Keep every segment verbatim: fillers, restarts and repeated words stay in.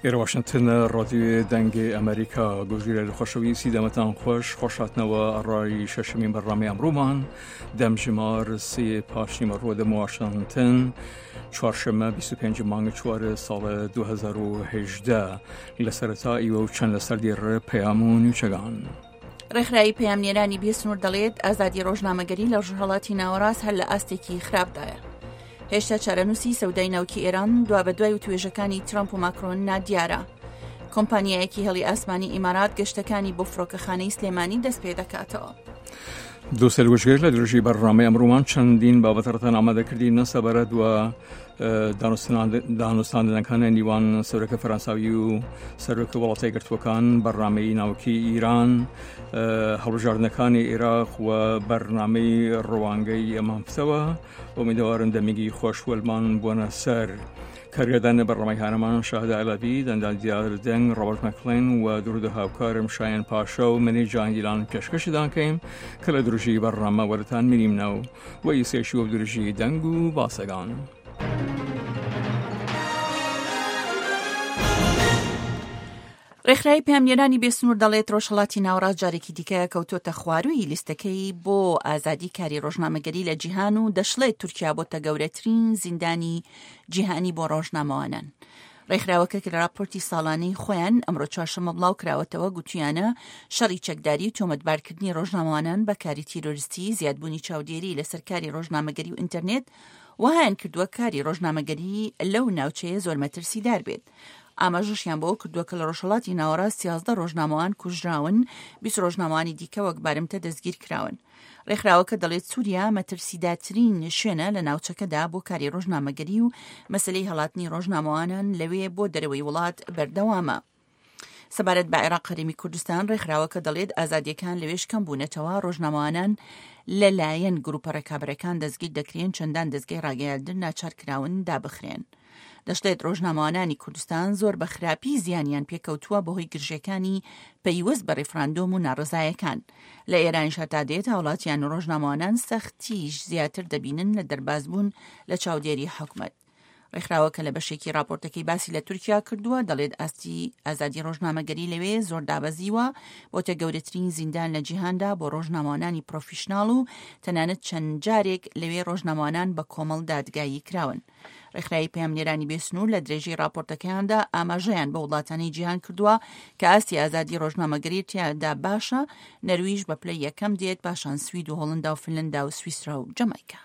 ئێرە واشنگتن، ڕادیۆ دەنگی ئەمریکا. گۆژیرە خۆشەویستی دەمەتان خۆش، خۆشاتنەوە ئەڕای شەشەمین بەرنامەی ئەمڕۆمان. دەمژمار سێ پاشنیمەڕۆ دەم واشنگتن، چوارشەممە بیست و پێنج مانگ چوار ساڵ دوو هەزار و هەژدە. لە سەرەتا ئیوە و چەند لەسەر دێڕ پەیام و نوچەگان. ڕێکخراوی پەیامنێرانی بێسنوور دەڵێت ئازادی ڕۆژنامەگەری لە ڕۆژهەڵاتی ناوەڕاست هەر لە ئاستێکی خراپدایە. هێشتا چارەنووسی سەودای ناوکی ئێران دوابەدوای وتوێژەکانی ترامپ و ماکرۆن نادیارە. کۆمپانیایەکی هێڵی ئاسمانی ئیمارات گەشتەکانی بۆ فڕۆکەخانەی سلێمانی دەست پێ دەکاتەوە. دووسەر وشگەر لە درێژی بەرنامەی ئەمڕۆمان چەندین بابەتەڕتان ئامادەکردین سەبارەت وە دانوستاندنەکانە نیوان سەرۆکە فەرەنساوی و سەرۆکە وڵاتە یەکگرتووەکان، بەرنامەی ناوکی ئیران، هەڵبژاردنەکانی عێراق و بەرنامەی ڕوانگەی ئەمان پتەوە. ئومیدەوارن دەمێکی خۆش وەلمان بۆنە سەر. کارگردان بەرنامەی هانەمان شاهدە عەلەبی، دەندان دیار دەنگ، ڕۆبەرت مەکلین و درود هاوکارم شایەن پاشا و منی جانگیلان پێشکەشی دانکەیم کە لە درژی بەرنامە وەرتان منیمنەو و ئیسێشی و درژی دەنگ و باسەگان. ڕێکخراوی پەیامنێرانی بێسنوور دەڵێت ڕۆژهەڵاتی ناوەڕاست جارێکی دیکە کەوتۆتە خوارووی لیستەکەی بۆ ئازادی کاری ڕۆژنامەگەری لە جیهان و دەشڵێت تورکیا بۆتە گەورەترین زیندانی جیهانی بۆ ڕۆژنامەوانان. ڕێکخراوەکە کە لە راپۆرتی ساڵانەی خۆیان ئەمڕۆ چوارشەممە بڵاو کراوەتەوە گوتویانە شەڕی چەکداری و تۆمەتبارکردنی ڕۆژنامەوانان بە کاری تیرۆریستی، زیادبوونی چاودێری لەسەر کاری ڕۆژنامەگەری و ئینتەرنێت وەهایان کردووە کاری ڕۆژنامەگەری لەو ناوچەیە زۆر مەترسیدار بێت. ئاماژەشیان بەوە کردووە کە لە ڕۆژهەڵاتی ناوەڕاست سیازدە ڕۆژنامەوان کوژراون، بیست ڕۆژنامەوانی دیکە وەک بارمتە دەستگیر کراون. ڕێکخراوەکە دەڵێت سووریا مەترسیدارترین شوێنە لە ناوچەکەدا بۆ کاری ڕۆژنامەگەری و مەسلەی هەڵاتنی ڕۆژنامەوانان لەوێ بۆ دەرەوەی وڵات بەردەوامە. سەبارەت بە عێراق هەرێمی کوردستان، ڕێکخراوەکە دەڵێت ئازادیەکان لەوێش کەم بوونەتەوە، ڕۆژنامەوانان لەلایەن گروپە ڕێکابەرەکان دەستگیر دەکرێن، چەندان دەستگای ڕاگەیاندن ناچار کراون دابخرێن. دەشڵێت ڕۆژنامەوانانی کوردستان زۆر بە خراپی زیانیان پێکەوتووە بەهۆی گرژەکانی پەیوەست بە ڕیفراندۆم و ناڕەزایەکان. لە ئێرانیش هەتا دێت هاوڵاتیان و ڕۆژنامەوانان سەختیش زیاتر دەبینن لە دەربازبوون لە چاودێری حکومەت. ڕێکخراوەکە لە بەشێکی راپۆرتەکەی باسی لە تورکیا کردووە، دەڵێت ئاستی ئازادی ڕۆژنامەگەری لەوێ زۆر دابەزیوە، بۆتە گەورەترین زیندان لە جیهاندا بۆ ڕۆژنامەوانانی پرۆفیشناڵ و تەنانەت چەند جارێک لەوێ ڕۆژنامەوانان بە کۆمەڵ دادگایی کراون. ڕێکخراوی پەیامنێرانی بێسنوور لە درێژەی راپۆرتەکەیاندا ئاماژەیان بە وڵاتانی جیهان کردووە کە ئاستی ئازادی ڕۆژنامەگەری تیادا باشە، نەرویژ بە پلەی یەکەم دێت، پاشان سوید و هۆڵندا و فنلندا و سویسرا و جەمایکا.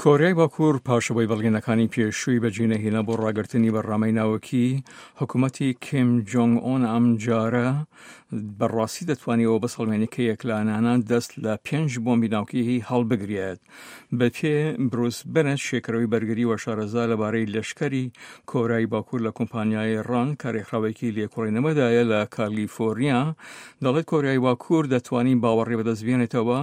کۆریای باکوور پاشەوەی بەڵگەنەکانی پێشووی بەجێنەهێنا بۆ ڕاگرتنی بەرنامەی ناوەکی، حکوومەتی کیم جۆنگ ئۆن ئەم جارە بەڕاستی دەتوانیەوە بسەڵمێنی کە یەکلانانە دەست لە پێنج بۆمبی ناوکیی هەڵبگرێت. بە پێ بروس بنت، شێکەرەوەی بەرگری و شارەزا لەبارەی لەشکری کۆریای باکوور لە کۆمپانیای ڕان کە ڕێکخراوێکی لێکۆڵینەوەدایە لە کالیفۆرنیا، دەڵێت کۆریای باکوور دەتوانین باوەڕی بەدەست بێنێتەوە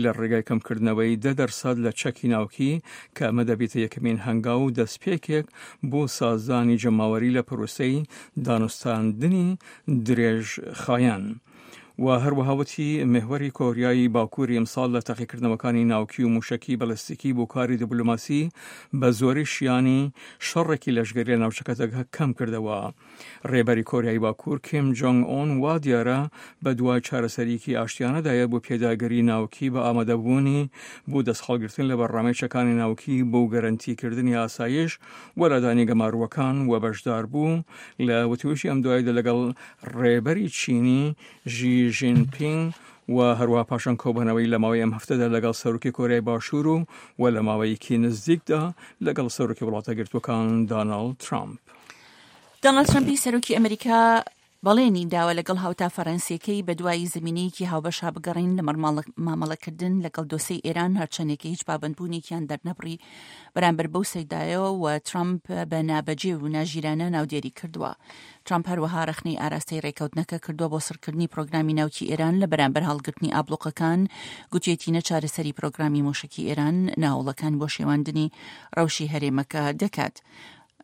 لە ڕێگای کەمکردنەوەی دە دەرسەد لە چەکی ناوکی کە ئەمە دەبێتە یەکەمین هەنگاو و دەستپێکێک بۆ سازدانی جەماوەری لە پرۆسەی دانوستاندنی درێژخایەن. و هەروەها وتی محوەری کۆریای باکووری ئەمساڵ لە تاقیکردنەوەکانی ناوکی و موشکی بەلستیکی بۆ کاری دیپلۆماسی بە زۆری شیانی شەڕێکی لەشگەری لە ناوچەکەدا کەم کردەوە. ڕێبەری کۆریای باکوور کیم جۆنگ ئۆن وا دیارە بە دوای چارەسەریکی ئاشتیانەدایە بۆ پێداگری ناوکی بە ئامادەبوونی بۆ دەستهەڵگرتن لە بەرنامەی چەکانی ناوکی بۆ گەرەنتیکردنی ئاسایش و لادانی گەماروەکان و بەشدار بوو لە وتوێژی ئەم دواییدا لەگەڵ ڕێبەری چینی ژی ژینپینگ و هەروەها پاشان کۆبوونەوەی لە ماوەی ئەم هەفتەدا لەگەڵ سەرۆکی کۆریای باشوور و و لە ماوەیەکی نزیکدا لەگەڵ سەرۆکی وڵاتە گرتووەکان داناڵد ترامپ. داناڵد ترامپی سەرۆکی ئەمریکا بەڵێنی داوە لەگەڵ هاوتا فەرەنسیەکەی بە دوای زمینەیەکی هاوبەشا بگەڕین لە مامەڵەکردن لەگەڵ دۆسەی ئێران، هەرچەندێکی هیچ پابەندبوونێکیان دەرنەبڕی بەرامبەر بەو سەیدایەوە و ترامپ بە نابەجێ و ناژیرانە ناودێری کردووە. ترامپ هەروەها ڕەخنەی ئاراستەی ڕێکەوتنەکە کردووە بۆ سڕکردنی پرۆگرامی ناوکی ئێران لە بەرامبەر هەڵگرتنی ئابلوقەکان، گوتیەتی نە چارەسەری پرۆگرامی موشکی ئێران ناوڵەکان بۆ شێواندنی ڕەوشی هەرێمەکە دەکات.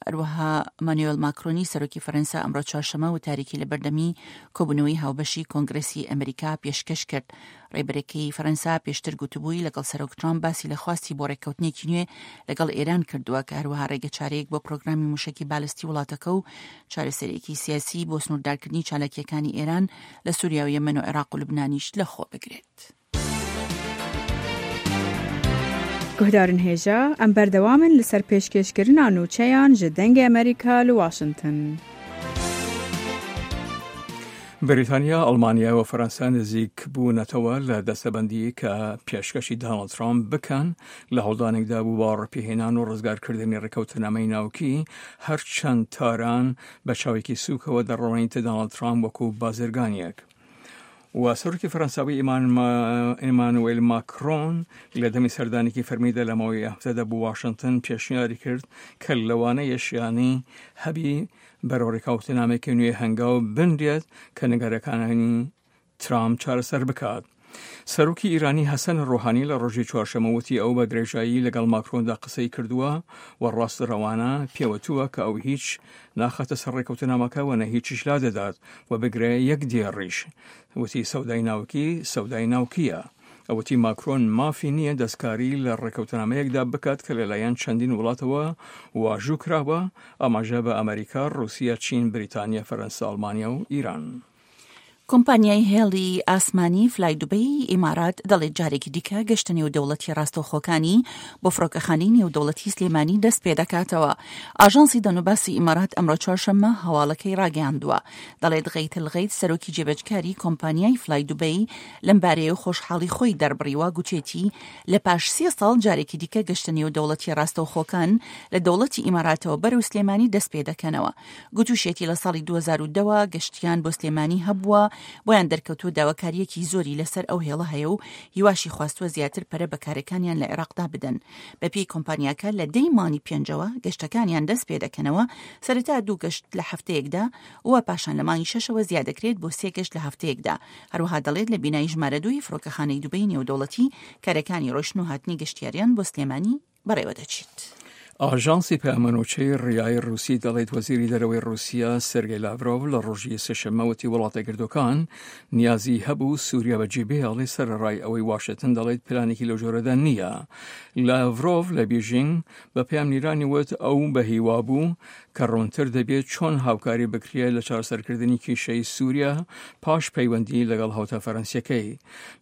هەروەها مانوێل ماکرۆنی سەرۆکی فەرەنسا ئەمڕۆ چوارشەممە وتارێکی لە بەردەمی کۆبوونەوەی هاوبەشی کۆنگرسی ئەمریکا پێشکەش کرد. ڕێبەرەکەی فەرەنسا پێشتر گوتبووی لەگەڵ سەرۆک ترامپ باسی لە خواستی بۆ ڕێککەوتنێکی نوێ لەگەڵ ئێران کردووە کە هەروەها ڕێگەچارەیەک بۆ پرۆگرامی موشەکی بالستی وڵاتەکە و چارەسەرێکی سیاسی بۆ سنووردارکردنی چالاکیەکانی ئێران لە سووریا و یەمەن و عێراق و لوبنانیش لەخۆ بگرێت. گوهدارن هێژا ئەم بەردەوامن لەسەر پێشکێشکردنا نوچەیان ji دەنگê ئەمریکا li واشنگتن. بەریتانیا، ئەڵمانیا و فەرەنسا نزیک بوونەتەوە لە دەستەبەندی کە پێشکەشی داناڵد ترامپ بکەن لە هەوڵدانێکدا بوو بە ڕێپێهێنان و ڕزگارکردنی ڕێککەوتنامەی ناوکی، هەرچەند تاران بە چاوێکی سووکەوە دەڕوانیتە داناڵد ترامپ وەکو بازرگانیەک. و سەرۆکی فەرەنساوی ئیمانوێل ماکرۆن لە دەمی سەردانێکی فەرمیدا لە ماوەی هەفتەدا بۆ واشنگتن پێشنیاری کرد کە لەوانەیە شیانی هەبی بەرەو ڕێککەوتنامێکی نوێ هەنگاو بنرێت کە نگەرەکانی ترامپ چارەسەر بکات. سەرۆکی ئیرانی حەسەن ڕۆحانی لە ڕۆژی چوارشەممە وتی ئەو بە درێژایی لەگەڵ ماکرۆندا قسەی کردووە و ڕاست ڕەوانە پێوەتووە کە ئەو هیچ ناخاتە سەر ڕێککەوتنامەکە و نە هیچیش لا دەدات و بگرێ یەک دێڕیش. وتی سەودای ناوکی سەودای ناوکیە. ئەوتی ماکرۆن مافی نییە دەستکاری لە ڕێککەوتنامەیەکدا بکات کە لەلایەن چەندین وڵاتەوە واژوو کراوە، ئاماژە بە ئەمریکا، ڕوسیا، چین، بریتانیا، فەرەنسا، ئەڵمانیا و ئیران. کۆمپانیای هێڵی ئاسمانی فلای دوبەی ئیمارات دەڵێت جارێکی دیکە گەشتە نێودەوڵەتی ڕاستەوخۆکانی بۆ فڕۆکەخانەی نێودەوڵەتی سلێمانی دەست پێ دەکاتەوە. ئاژانسی دەنوباسی ئیمارات ئەمڕۆ چوارشەممە هەواڵەکەی ڕاگەیاندووە. دەڵێت غەیت الغەیت سەرۆکی جێبەجکاری کۆمپانیای فلای دوبەی لەمبارەیە خۆشحاڵی خۆی دەربڕیوە، گوتێتی لە پاش سێ ساڵ جارێکی دیکە گەشتە نێودەوڵەتی ڕاستەوخۆکان لە دەوڵەتی ئیماراتەوە بەرەو سلێمانی دەست پێ دەکەنەوە. گوتوشێتی لە ساڵی دوو هەزار و دە گەشتیان بۆ سلێمانی هەبووە، بۆیان دەرکەوتووە داواکاریەکی زۆری لەسەر ئەو هێڵە هەیە و هیواشی خواستووە زیاتر پەرە بە کارەکانیان لە عێراقدا بدەن. بەپێی کۆمپانیاکە لە دەی مانگی پێنجەوە گەشتەکانیان دەست پێ دەکەنەوە، سەرەتا دوو گەشت لە هەفتەیەکدا و پاشان لە مانگی شەشەوە زیاد دەکرێت بۆ سێ گەشت لە هەفتەیەکدا. هەروەها دەڵێت لە بینای ژمارە دووی فڕۆکەخانەی دوبەی نێودەوڵەتی کارەکانی ڕۆشن و هاتنی گەشتیاریان بۆ سلێمانی بەڕێوە دەچێت. ئاژانسی پەیامەنوچەی ڕیای ڕووسی دەڵێت وەزیری دەرەوەی ڕووسیا سێرگەی لاڤرۆڤ لە ڕۆژی سێشەممە وتی وڵاتە گردوەکان نیازی هەبوو سووریا بەجێ بهێڵێ، سەرەڕای ئەوەی واشنگتن دەڵێت پلانێکی لەو جۆرەدا نییە. لاڤرۆڤ لە بیژینگ بە پەیامنیرانی وت ئەو بەهیوا بوو کە ڕوونتر دەبێت چۆن هاوکاری بکرێت لە چارەسەرکردنی کێشەی سووریا پاش پەیوەندی لەگەڵ هاوتا فەرەنسیەکەی.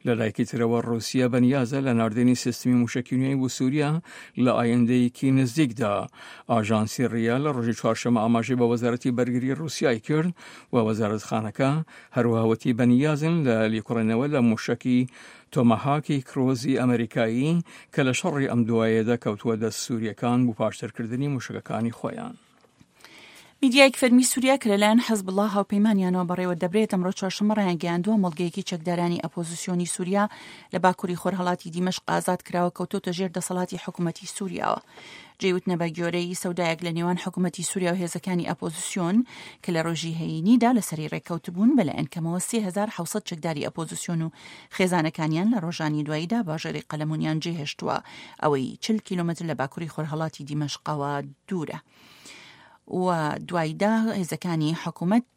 لە لایەکی ترەوە ڕووسیا بەنیازە لە ناردنی سیستمی موشەکی نوێی بۆ سووریا لە ئایندەیەکی نزیکدا. ئاژانسی ڕیا لە ڕۆژی چوارشەممە ئاماژەی بە وەزارەتی بەرگری ڕووسیای کرد و وەزارەتخانەکە هەروەها وتی بەنیازن لە لێکۆڵینەوە لە موشەکی تۆماهاکی کرۆزی ئەمریکایی کە لە شەڕی ئەم دوایەدا کەوتووە دەست سووریەکان بۆ پاشترکردنی موشەکەکانی خۆیان. میدیایەک فەرمی سووریا کە لەلایەن حەزبوڵڵا هاوپەیمانیانەوە بەڕێوە دەبرێت ئەمڕۆ چوارشەممە ڕایانگەیاندووە مۆڵگەیەکی چەکدارانی ئەپۆزیسیۆنی سووریا لە باکووری خۆرهەڵاتی دیمەشق ئازاد کراوە، کەوتۆتە ژێر دەسەڵاتی حکوومەتی سووریاوە. جێوتنە بە گوێرەی سەودایەک لە نێوان حکوومەتی سووریا و هێزەکانی ئەپۆزیسیۆن کە لە ڕۆژی هەینیدا لەسەری ڕێککەوتبوون بەلایەن کەمەوە سێ هەزار حەوت سەد چەکداری ئەپۆزیسیۆن و خێزانەکانیان لە ڕۆژانی دواییدا باژێری قەلەمونیان جێهێشتووە، ئەوەی چل کیلۆمەتر لە باکووری خۆرهەڵاتی دیمەشقەوە دوورە. و دواییدا هێزەکانی حکوومەت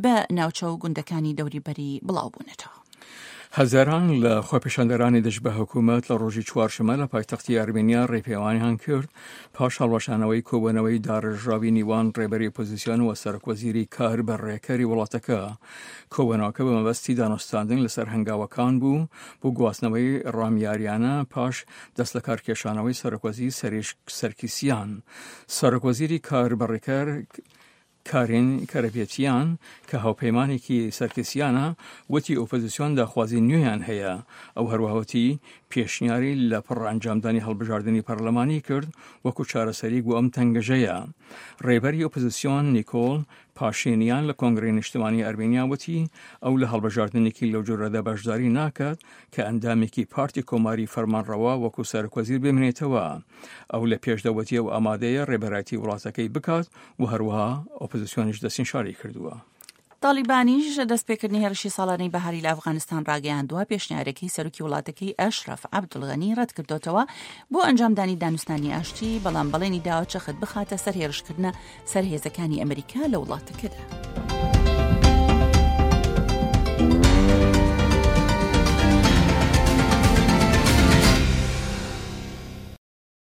بە ناوچە و گوندەکانی دەوریبەری بڵاو بوونەتەوە. هەزاران لە خۆپیشاندەرانی دژ بە حکوومەت لە ڕۆژی چوارشەممە لە پایتەختی ئەرمینیا ڕێپێوانیان کرد پاش هەڵوەشانەوەی کۆبوونەوەی داڕێژراوی نێوان ڕێبەری ئۆپۆزیسیۆن و سەرۆکوەزیری کار بە ڕێکەری وڵاتەکە. کۆبوونەوەکە بە مەبەستی دانوستاندن لەسەر هەنگاوەکان بوو بۆ گواستنەوەی ڕامیاریانە پاش دەست لە کارکێشانەوەی سەرۆکوەزیر سەرکیسیان. سەرۆکوەزیری کار بە ڕێکەر کارین کەرەپێتیان کە هاوپەیمانێکی سەرکیسیانە وتی ئۆپۆزیسیۆن داخوازی نوێیان هەیە. ئەو هەروەها پێشنیاری لە پڕ ئەنجامدانی هەڵبژاردنی پەرلەمانی کرد وەکو چارەسەری بۆ ئەم تەنگەژەیە. ڕێبەری ئۆپۆزیسیۆن نیکۆل پاشینیان لە کۆنگرەی نیشتمانی ئەرمینیا وتی ئەو لە هەڵبژاردنێکی لەو جۆرەدا بەشداری ناکات کە ئەندامێکی پارتی کۆماری فەرمانڕەوا وەکو سەرۆکوەزیر بمێنێتەوە. ئەو لە پێشدەوەتی ئەو ئامادەیە ڕێبەرایەتی وڵاتەکەی بکات و هەروەها ئۆپۆزیسیۆنیش دەستنیشانی کردووە. تاڵیبانیش دەستپێکردنی هێرشی ساڵانەی بەهاری لە ئەفغانستان ڕاگەیاندووە، پێشنیارەکەی سەرۆکی وڵاتەکەی ئەشرەف عەبدولغەنی ڕەتکردۆتەوە بۆ ئەنجامدانی دانوستانی ئاشتی، بەڵام بەڵێنی داوە چەخت بخاتە سەر هێرشکردنە سەر هێزەکانی ئەمریکا لە وڵاتەکەدا.